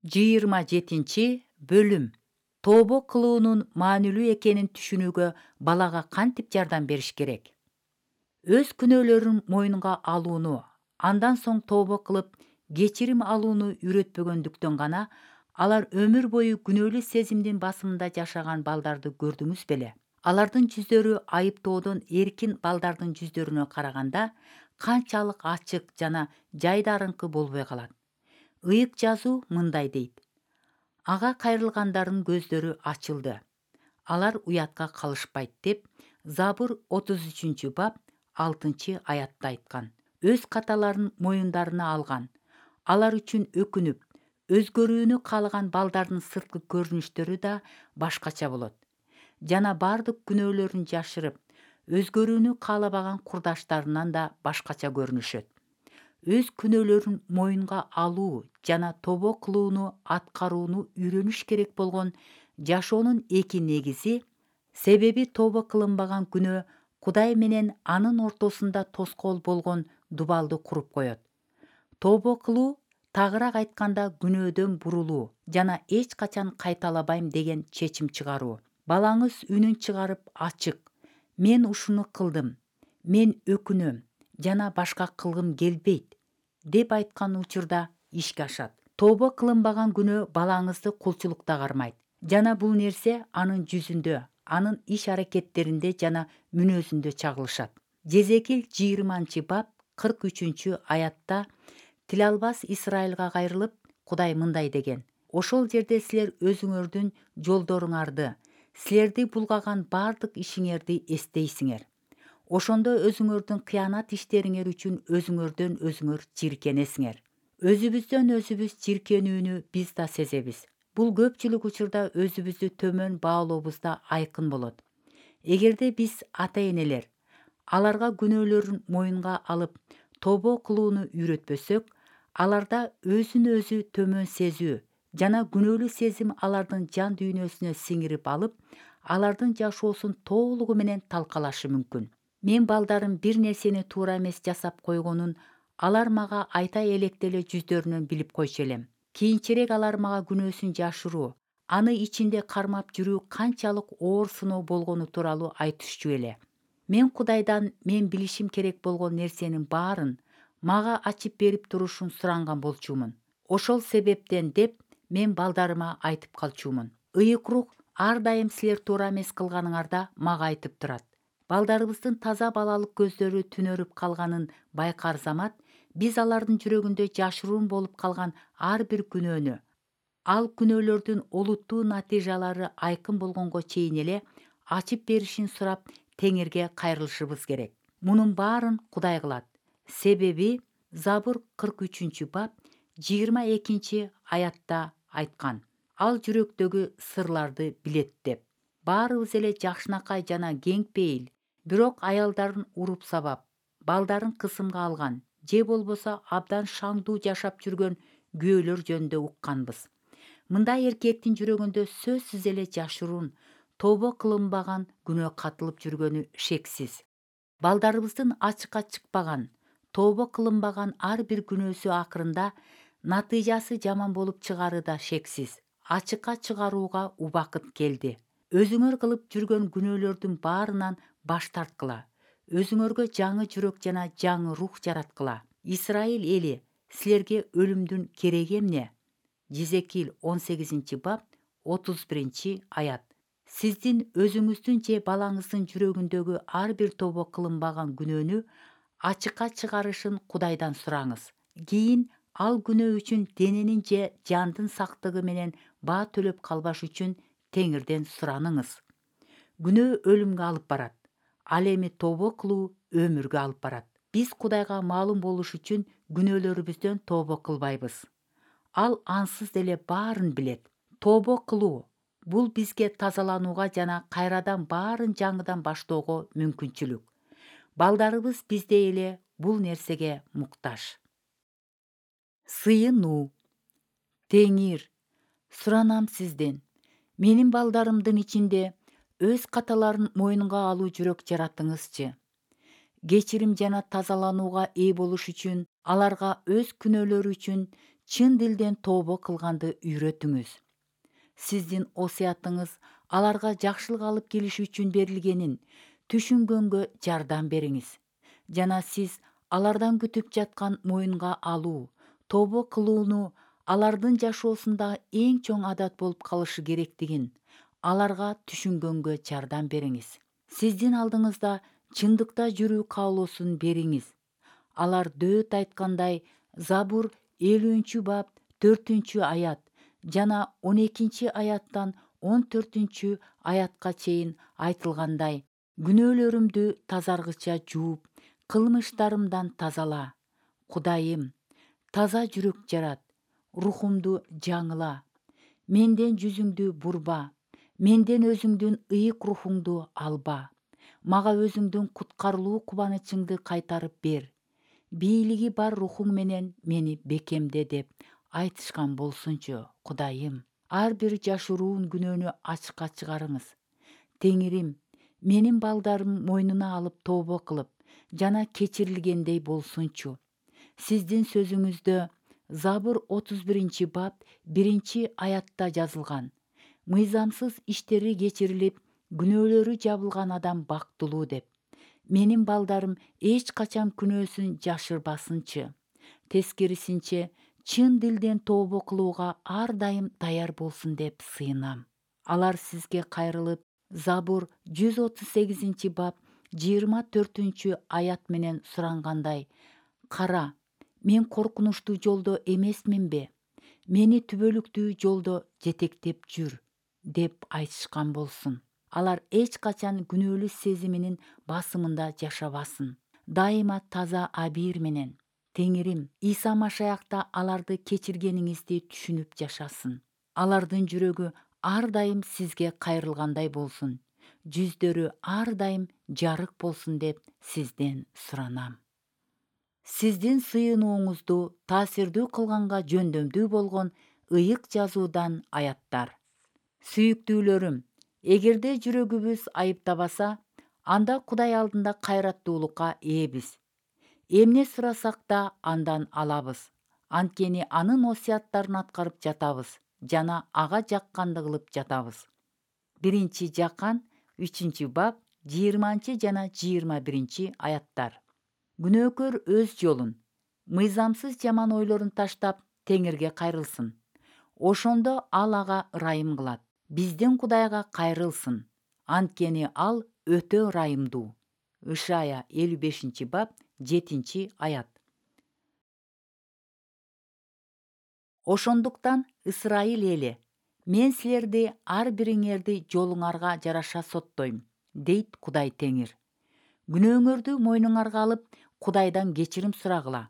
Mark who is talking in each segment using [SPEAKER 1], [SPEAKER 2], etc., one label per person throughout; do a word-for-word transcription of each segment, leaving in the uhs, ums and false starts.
[SPEAKER 1] жыйырма жетинчи бөлүм. Тобо кылуунун маанилүү экенин түшүнүүгө балага кантип жардам бериш керек? Өз күнөөлөрүн мойнунга алууну, андан соң тобо кылып, кечирим алууну үйрөтпөгөндүктөн гана алар өмүр бою күнөөлүү сезимдин басымында жашаган балдарды көрдүңүз беле? Алардын жүздөрү айыптоодон эркин балдардын жүздөрүнө караганда канчалык ачык жана жайдарыңкы болбой калат. Ыйык жазуу мындай дейт: ага кайрылгандардын көздөрү ачылды, алар уятка калышпайт деп Забур отуз үчүнчү бап алтынчы аятта айткан. Өз каталарын моюндарына алган, алар үчүн өкүнүп, өзгөрүүнү каалаган балдардын сырткы көрүнүштөрү да башкача болот жана бардык күнөөлөрүн жашырып, өзгөрүүнү каалабаган курдаштарынан да башкача көрүнүшөт. Өз күнөөлөрүн моюнга алуу жана тобо кылууну аткарууну үйрөнүш керек болгон жашоонун эки негизи, себеби тобо кылынбаган күнөө Кудай менен анын ортосунда тоскоол болгон дубалды куруп коет. Тобо кылуу, тагыраак айтканда, күнөөдөн бурулуу жана эч качан кайталабайм деген чечим чыгаруу. Балаңыз үнүн чыгарып ачык: мен ушуну кылдым, мен өкүнөм жана башка кылгым келбейт деп айткан учурда ишке ашат. Тобо кылынбаган күнөө балаңызды кулчулукта кармайт жана бул нерсе анын жүзүндө, анын иш-аракеттеринде жана мүнөзүндө чагылышат. Жезекил жыйырманчы бап кырк үчүнчү аятта тил албас Исрайылга кайрылып, Кудай мындай деген: ошол жерде силер өзүңөрдүн жолдоруңарды, силерди булгаган бардык ишиңерди эстейсиңер. Ошондо өзүңөрдүн кыянат иштериңер үчүн өзүңөрдөн өзүңөр жиркенесиңер. Өзүбүздөн өзүбүз жиркенүүнү биз да сезебиз. Бул көпчүлүк учурда өзүбүздү төмөн баалообузда айкын болот. Эгерде биз ата-энелер аларга күнөөлөрүн моюнга алып, тобо кылууну үйрөтпөсөк, аларда өзүн өзү төмөн сезүү жана күнөөлүү сезим алардын жан дүйнөсүнө сиңирип алып, алардын жашоосун толугу менен талкалашы мүмкүн. Мен балдарым бир нерсени туура эмес жасап койгонун алар мага айта электе эле жүздөрүнөн билип койчу элем. Кийинчерээк алар мага күнөөсүн жашыруу, аны ичинде кармап жүрүү канчалык оор сыноо болгону тууралуу айтышчу эле. Мен Кудайдан мен билишим керек болгон нерсенин баарын мага ачып берип турушун суранган болчумун. Ошол себептен деп мен балдарыма айтып калчумун. Ыйык рух ар дайым силер туура эмес кылганыңарда мага айтып турат. Балдарыбыздын таза балалык көздөрү түнөрүп калганын байкар замат, биз алардын жүрөгүндө жашыруун болуп калган ар бир күнөөнү, ал күнөөлөрдүн олуттуу натыйжалары айкын болгонго чейин эле ачып беришин сурап, Теңирге кайрылышыбыз керек. Мунун баарын Кудай кылат. Себеби Забур кырк үчүнчү бап жыйырма экинчи аятта айткан: ал жүрөктөгү сырларды билет деп. Баарыбыз эле жакшынакай жана кең пейил, бирок аялдарын уруп сабап, балдарын кысымга алган же болбосо абдан шаңдуу жашап жүргөн күйөөлөр жөнүндө укканбыз. Мындай эркектин жүрөгүндө сөзсүз эле жашыруун, тобо кылынбаган күнөө катылып жүргөнү шексиз. Балдарыбыздын ачыкка чыкпаган, тобо кылынбаган ар бир күнөөсү акырында натыйжасы жаман болуп чыгары да шексиз. Ачыкка чыгарууга убакыт келди. Өзүңөр кылып жүргөн күнөөлөрдүн баарынан баш тарткыла. Өзүңөргө жаңы жүрөк жана жаңы рух жараткыла. Исрайыл эли, силерге өлүмдүн кереги эмне? Жезекил он сегизинчи бап отуз биринчи аят. Сиздин өзүңүздүн же балаңыздын жүрөгүндөгү ар бир тобо кылынбаган күнөөнү ачыкка чыгарышын Кудайдан сураңыз. Кийин ал күнөө үчүн дененин же жандын сактыгы менен баа төлөп калбаш үчүн Теңирден сураныңыз. Күнөө өлүмгө алып барат, ал эми тобо кылуу өмүргө алып барат. Биз Кудайга маалым болуш үчүн күнөөлөрүбүздөн тобо кылбайбыз. Ал ансыз деле баарын билет. Тобо кылуу — бул бизге тазаланууга жана кайрадан баарын жаңыдан баштоого мүмкүнчүлүк. Балдарыбыз биздей эле бул нерсеге муктаж. Сыйынуу. Теңир, суранам сизден, менин балдарымдын ичинде өз каталарын мойнунга алуу жүрөк жаратыңызчы. Кечирим жана тазаланууга ээ болуш үчүн аларга өз күнөөлөрү үчүн чын дилден тобо кылганды үйрөтүңүз. Сиздин осуятыңыз аларга жакшылык алып келиш үчүн берилгенин түшүнгөнгө жардам бериңиз жана сиз алардан күтүп жаткан моюнга алуу, тобо кылууну алардын жашоосунда эң чоң адат болуп калышы керектигин аларга түшүнгөнгө жардам бериңиз. Сиздин алдыңызда чындыкта жүрүү каалоосун бериңиз. Алар дөөт айткандай Забур элүүнчү бап төртүнчү аят жана он экинчи аяттан он төртүнчү аятка чейин айтылгандай: күнөөлөрүмдү тазаргыча жууп, кылмыштарымдан тазала. Кудайым, таза жүрөк жарат, рухумду жаңыла. Менден жүзүңдү бурба, менден өзүңдүн ыйык рухуңду алба. Мага өзүңдүн куткарылуу кубанычыңды кайтарып бер. Бийлиги бар рухуң менен мени бекемде деп айтышкан болсунчу. Кудайым, ар бир жашыруун күнөөнү ачыкка чыгарыңыз. Теңирим, менин балдарым мойнуна алып тобо кылып жана кечирилгендей болсунчу. Сиздин сөзүңүздө Забур отуз биринчи бап биринчи аятта жазылган: мыйзамсыз иштери кечирилип, күнөөлөрү жабылган адам бактылуу деп. Менин балдарым эч качан күнөөсүн жашырбасынчы. Тескерисинче, чын дилден тобо кылууга ар дайым даяр болсун деп сыйынам. Алар сизге кайрылып, Забур жүз отуз сегизинчи бап жыйырма төртүнчү аят менен сурангандай: кара, мен коркунучтуу жолдо эмесминби? Мени түбөлүктүү жолдо жетектеп жүр деп айтышкан болсун. Алар эч качан күнөөлүү сезиминин басымында жашабасын. Дайыма таза абийир менен. Теңирим, Иса Машаякта аларды кечиргениңизди түшүнүп жашасын. Алардын жүрөгү ар дайым сизге кайрылгандай болсун. Жүздөрү ар дайым жарык болсун деп сизден суранам. Сиздин сыйынууңузду таасирдүү кылганга жөндөмдүү болгон ыйык жазуудан аяттар. Сүйүктүүлөрүм, эгерде жүрөгүбүз айыптабаса, анда Кудай алдында кайраттуулукка ээбиз. Эмне сурасак да андан алабыз. Анткени анын осуяттарын аткарып жатабыз жана ага жакканды кылып жатабыз. Биринчи Жакан үчүнчү бап жыйырманчы жана жыйырма биринчи аяттар. Күнөөкөр өз жолун, мыйзамсыз жаман ойлорун таштап, Теңирге кайрылсын. Ошондо ал ага ырайым кылат. Биздин Кудайга кайрылсын, анткени ал өтө ырайымдуу. Ышая элүү бешинчи бап жетинчи аят. Ошондуктан, Ысрайыл эли, мен силерди ар бириңерди жолуңарга жараша соттойм, дейт Кудай Теңир. Күнөөңөрдү мойнуңарга алып, Кудайдан кечирим сурагыла.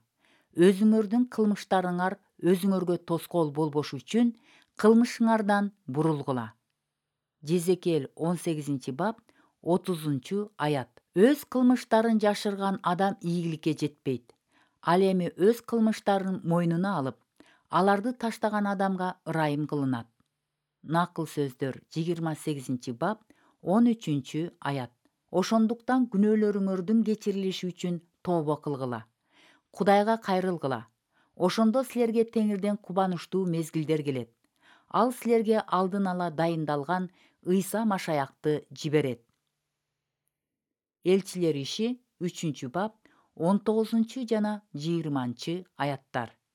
[SPEAKER 1] Өзүңөрдүн кылмыштарыңар өзүңөргө тоскоол болбош үчүн кылмышыңардан бурулгула. Жезекел он сегизинчи бап отузунчу аят. Өз кылмыштарын жашырган адам ийгиликке жетпейт. Ал эми өз кылмыштарын мойнуна алып, аларды таштаган адамга ырайым кылынат. Накыл сөздөр жыйырма сегизинчи бап он үчүнчү аят. Ошондуктан күнөөлөрүңөрдүн кечирилиши үчүн тобо кылгыла. Кудайга кайрылгыла. Ошондо силерге Теңирден кубанычтуу мезгилдер келет. Ал силерге алдын ала дайындалган Ыйса Машаякты жиберет. Элчилер иши үчүнчү бап он тогузунчу жана жыйырманчы аяттар.